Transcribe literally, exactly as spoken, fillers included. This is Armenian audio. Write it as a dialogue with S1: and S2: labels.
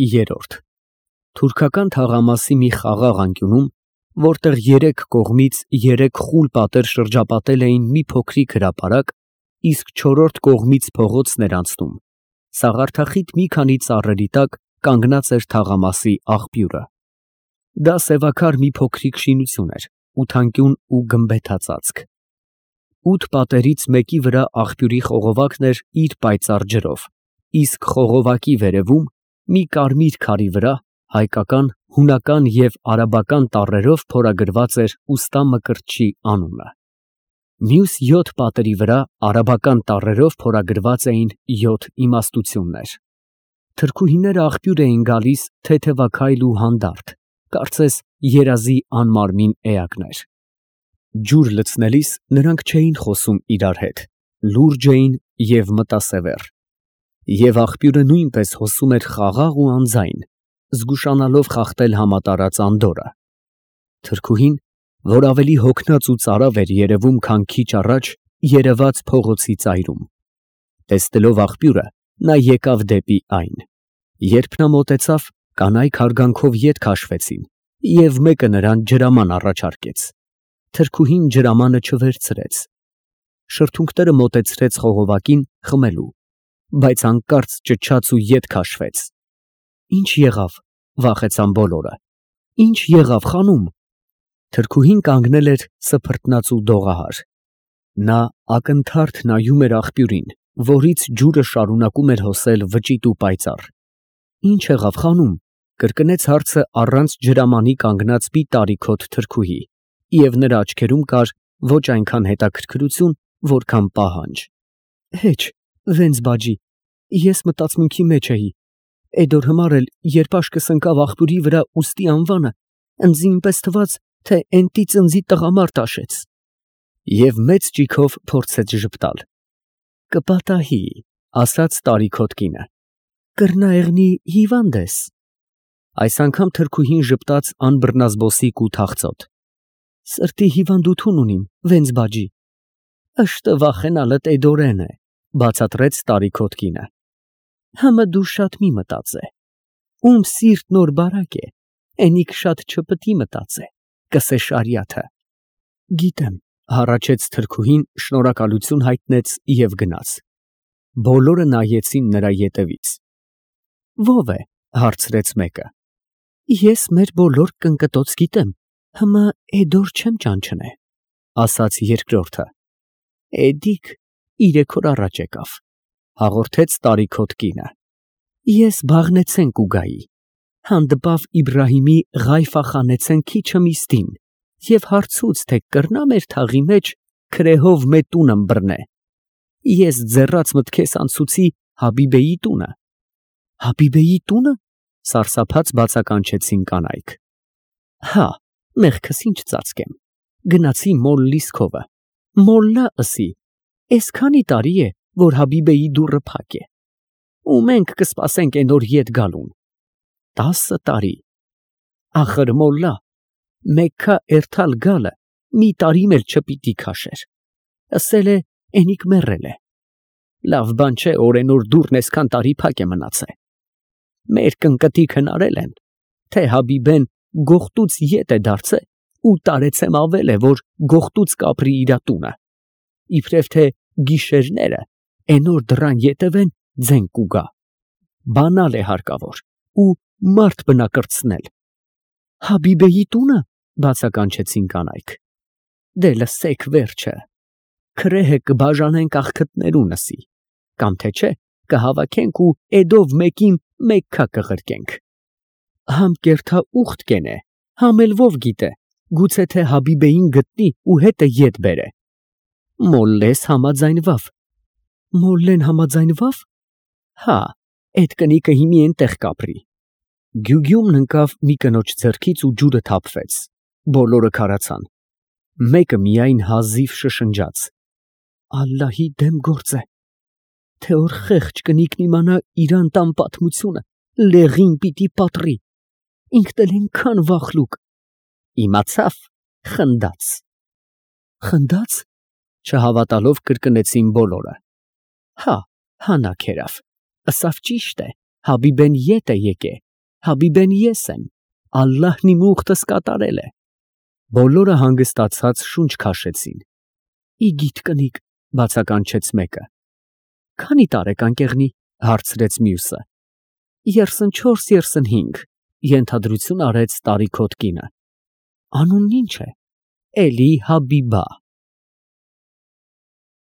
S1: Երրորդ Թուրքական թաղամասի մի խաղաղ անկյունում, որտեղ երեք կողմից երեք խուլ պատեր շրջապատել էին մի փոքրիկ հրապարակ, իսկ չորրորդ կողմից փողոցն էր անցնում, սաղարթախիտ մի քանի ծառերի տակ կանգնած էր թաղամասի աղբյուրը։ Դա սևաքար մի փոքրիկ շինություն էր, ութանկյուն ու գմբեթածածկ։ Ութ պատերից մեկի վրա աղբյուրի խողովակն էր իր պայծառ ջրով, իսկ խողովակի վերևում, մի կարմիր քարի վրա, հայկական, հունական և արաբական տառերով փորագրված էր ուստա Մկրտչի անունը։ Մյուս յոթ պատերի վրա արաբական տառերով փորագրված էին յոթ իմաստություններ։ Թրքուհիները աղբյուր էին գալիս թեթևաքայլ ու հանդարտ, կարծես երազի անմարմին էակներ։ Ջուր լցնելիս նրանք չէին խոսում իրար հետ, լուրջ էին և մտասևեռ։ Եվ աղբյուրը նույնպես հոսում էր խաղաղ ու անձայն, զգուշանալով խախտել համատարած անդորրը։ Թրքուհին, որ ավելի հոգնած ու ծարավ էր երևում, քան քիչ առաջ երևաց փողոցի ծայրում։ Տեսնելով աղբյուրը, նա եկավ դեպի այն։ Երբ նա մոտեցավ, կանայք հարգանքով ետ քաշվեցին, և մեկը նրան ջրաման առաջարկեց։ Թրքուհին ջրամանը չվերցրեց։ Շրթունքները մոտեցրեց խողովակին խմելու, բայց հանկարծ ճչաց ու ետ քաշվեց։ Ի՞նչ եղավ, վախեցան բոլորը։ Ի՞նչ եղավ, խանում։ Թրքուհին կանգնել էր սփռտնած ու դողահար։ Նա ակնթարթ նայում էր աղբյուրին, որից ջուրը շարունակում էր հոսել վճիտ ու պայծառ։ Ի՞նչ եղավ, խանում, կրկնեց հարցը առանց ջրամանի կանգնած մի տարիքոտ թրքուհի, և նրա աչքերում կար ոչ այնքան հետաքրքրություն, որքան պահանջ։ Հեչ, վենց բաջի, ես մտածմունքի մեջ էի։ Էդ օր հիմար էլ, երբ աշկս ընկավ աղբյուրի վրա ուստի անվանը, ընձ ինպես թվաց, թե էնտի ծնծի տղամարդ աշեց։ Եվ մեծ ճիգով փորձեց ժպտալ։ Կպատահի, ասաց տարիքոտ կինը։ Կռնա եղնի հիվանդ ես։ Այս անգամ թրքուհին ժպտաց անբռնազբոսիկ ու թախծոտ։ Սրտի հիվանդություն ունիմ, վենց բաջի։ Ըշտը վախենալդ էդորեն է, բացատրեց տարիքոտ կինը։ Համը դու շատ մի մտածե։ Ում սիրտ նոր բարակ է, էնիկ շատ չպտի մտածե, կսե շարիաթը։ Գիտեմ, հառաչեց թրքուհին, շնորհակալություն հայտնեց և գնաց։ Բոլորը նայեցին նրա ետևից։ Ո՞վ է, հարցրեց մեկը։ Ես մեր բոլոր կնկտոց գիտեմ, հիմա էդոր չեմ ճանչնե, ասաց երկրորդը։ Էդիկ իրեք օր առաջ եկավ, հաղորդեց տարիքոտ կինը։ Ես բաղնեցեն կուգայի, հանդպավ Իբրահիմի Ղայֆախանեցեն քիչը միստին, և հարցուց, թե կռնա մեր թաղի մեջ քրեհով մե տունը բռնե։ Ես ձեռաց մտքես անցուցի Հաբիբեի տունը։ Հաբիբեի տունը, սարսափած բացականչեցին կանայք։ Հա, մեղքս ինչ ծածկեմ, գնացի մոլլիս քովը, մոլլա ըսի, էս քանի տարի է, որ Հաբիբեի դուռը փակ է, ու մենք կսպասենք են օր ետ գալուն։ Տասը տարի։ Ախր մոլլա, Մեքքա էրթալ գալը մի տարի էլ չպիտի քաշեր, ասել է էնիկ մեռել է։ Լավ բան չէ, օրենոր դուռն էսքան տարի փակ է մնացե։ Մեր կնկտիք հնարել են, թե Հաբիբեն գողտուց ետ է դարձե ու տարեցեմ ավել է, որ գողտուց կապրի իրա տունը, իբրև թե գիշերները էնոր դռան ետևեն ձեն կուգա, բանալ է հարկավոր ու մարդ բնակրցնել։ Հաբիբեի տունը, բացականչեցին կանայք։ Դե լսեք վերջը, քրեհը կբաժանենք աղքտներունըսի, կամ թե չէ կհավաքենք ու էդով մեկին Մեքքա կղրկենք։ Համ կերթա ուխտ կենե, համ էլ ով գիտե, գուցե թե Հաբիբեին գտնի ու հետը ետ բերե։ Մոլլես համաձայնվավ։ Մոլլեն համաձայնվավ։ Հա, էդ կնիկը հիմի էնտեղ կապրի։ Գյուգյումն ընկավ մի կնոջ ձեռքից ու ջուրը թափվեց։ Բոլորը քարացան։ Մեկը միայն հազիվ շշնջաց. Ալլահի դեմ գործ է, թե որ խեղճ կնիկն իմանա իր անտան պատմությունը, լեղին պիտի պատռի, ինքն էլ այնքան վախլուկ։ Իմացավ, խնդաց։ Խնդաց, չհավատալով կրկնեցին բոլորը։ Հա, հանա քերավ, ըսավ ճիշտ է, Հաբիբեն ետ է եկե, Հաբիբեն ես եմ, Ալլահն իմ ուխտս կատարել է։ Բոլորը հանգստացած շունչ քաշեցին։ Ի գիթ կնիկ, բացականչեց մեկը։ Քանի՞ տարեկան կեղնի, հարցրեց մյուսը։ Երսնչորս, երսնհինգ, ենթադրություն արեց տարիքոտ կինը։ Անունն ի՞նչ է։ Էլի Հաբիբա։